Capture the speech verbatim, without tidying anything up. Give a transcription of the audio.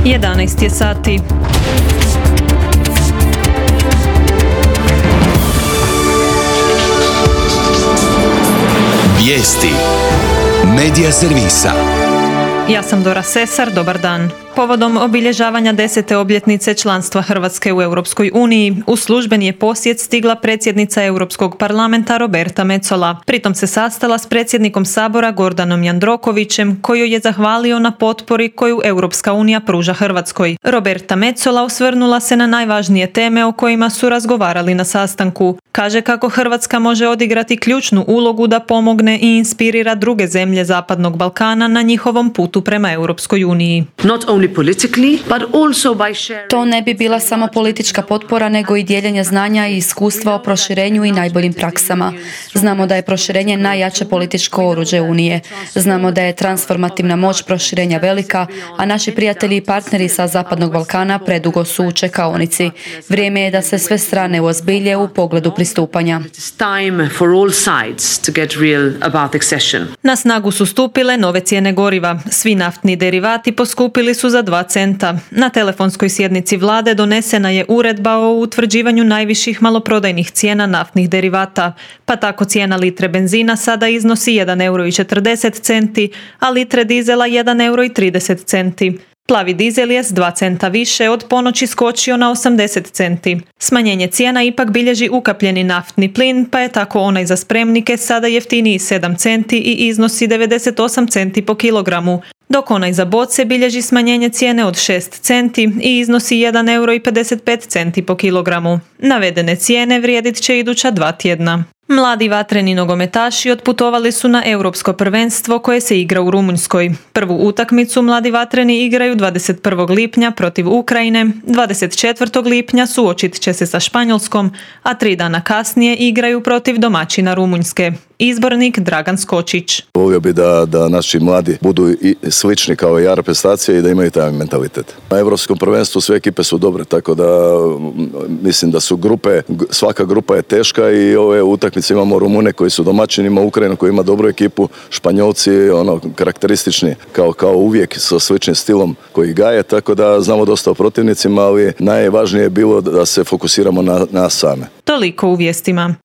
jedanaest je sati. Vijesti Medija servisa. Ja sam Dora Sesar, dobar dan. Povodom obilježavanja desete obljetnice članstva Hrvatske u Europskoj uniji, u službeni je posjet stigla predsjednica Europskog parlamenta Roberta Metsola. Pritom se sastala s predsjednikom Sabora Gordanom Jandrokovićem, koji je zahvalio na potpori koju Europska unija pruža Hrvatskoj. Roberta Metsola osvrnula se na najvažnije teme o kojima su razgovarali na sastanku. Kaže kako Hrvatska može odigrati ključnu ulogu da pomogne i inspirira druge zemlje Zapadnog Balkana na njihovom putu prema Europskoj uniji. To ne bi bila samo politička potpora, nego i dijeljenje znanja i iskustva o proširenju i najboljim praksama. Znamo da je proširenje najjače političko oruđe Unije. Znamo da je transformativna moć proširenja velika, a naši prijatelji i partneri sa Zapadnog Balkana predugo su u čekaonici. Vrijeme je da se sve strane uozbilje u pogledu pristupanja. Na snagu su stupile nove cijene goriva. Svi naftni derivati poskupili su za dva centa. Na telefonskoj sjednici vlade donesena je uredba o utvrđivanju najviših maloprodajnih cijena naftnih derivata, pa tako cijena litre benzina sada iznosi jedan euro i četrdeset centi, a litre dizela jedan euro i trideset centi. Plavi dizel je s dva centa više od ponoći skočio na osamdeset centi. Smanjenje cijena ipak bilježi ukapljeni naftni plin, pa je tako onaj za spremnike sada jeftiniji sedam centi i iznosi devedeset osam centi po kilogramu, dok onaj za boce bilježi smanjenje cijene od šest centi i iznosi jedan euro i pedeset pet centi po kilogramu. Navedene cijene vrijedit će iduća dva tjedna. Mladi vatreni nogometaši otputovali su na Europsko prvenstvo koje se igra u Rumunjskoj. Prvu utakmicu mladi vatreni igraju dvadeset prvog lipnja protiv Ukrajine, dvadeset četvrtog lipnja suočit će se sa Španjolskom, a tri dana kasnije igraju protiv domaćina Rumunjske. Izbornik Dragan Skočić. Volio bi da, da naši mladi budu i slični kao i reprezentacije i da imaju taj mentalitet. Na Europskom prvenstvu sve ekipe su dobre, tako da mislim da su grupe, svaka grupa je teška i ove utakmice imamo Rumune koji su domaćini, ima Ukrajinu koji ima dobru ekipu, Španjolci ono karakteristični kao, kao uvijek sa sličnim stilom koji gaje, tako da znamo dosta o protivnicima, ali najvažnije je bilo da se fokusiramo na nas same. Toliko u vijestima.